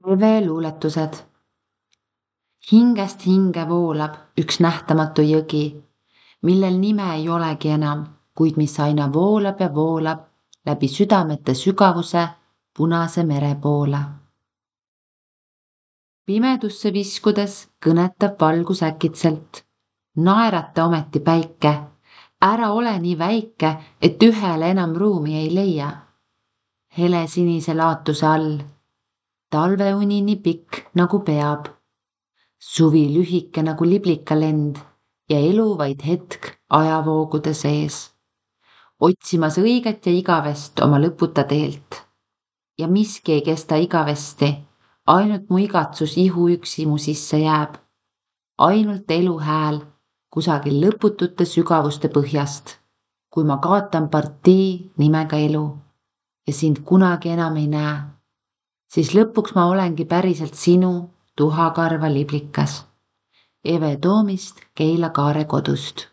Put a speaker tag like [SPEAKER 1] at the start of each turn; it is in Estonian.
[SPEAKER 1] Eve luuletused. Hingest hinge voolab üks nähtamatu jõgi, millel nime ei olegi enam, kuid mis aina voolab ja voolab läbi südamete sügavuse Punase mere poole. Pimedusse viskudes kõnetab valgus äkitselt. Naerate ometi päike, ära ole nii väike, et ühele enam ruumi ei leia. Hele sinise laatuse all, talveuni nii pikk nagu peab. Suvi lühike nagu liblikalend ja elu vaid hetk ajavoogude sees. Otsimas õiget ja igavest oma lõputa teelt. Ja miski ei kesta igavesti, ainult mu igatsus ihu üksi mu sisse jääb. Ainult elu hääl kusagil lõputute sügavuste põhjast, kui ma kaotan partii nimega elu ja sind kunagi enam ei näe, siis lõpuks ma olengi päriselt sinu tuhakarva liblikas. Eve Toomist Keila Kaare kodust.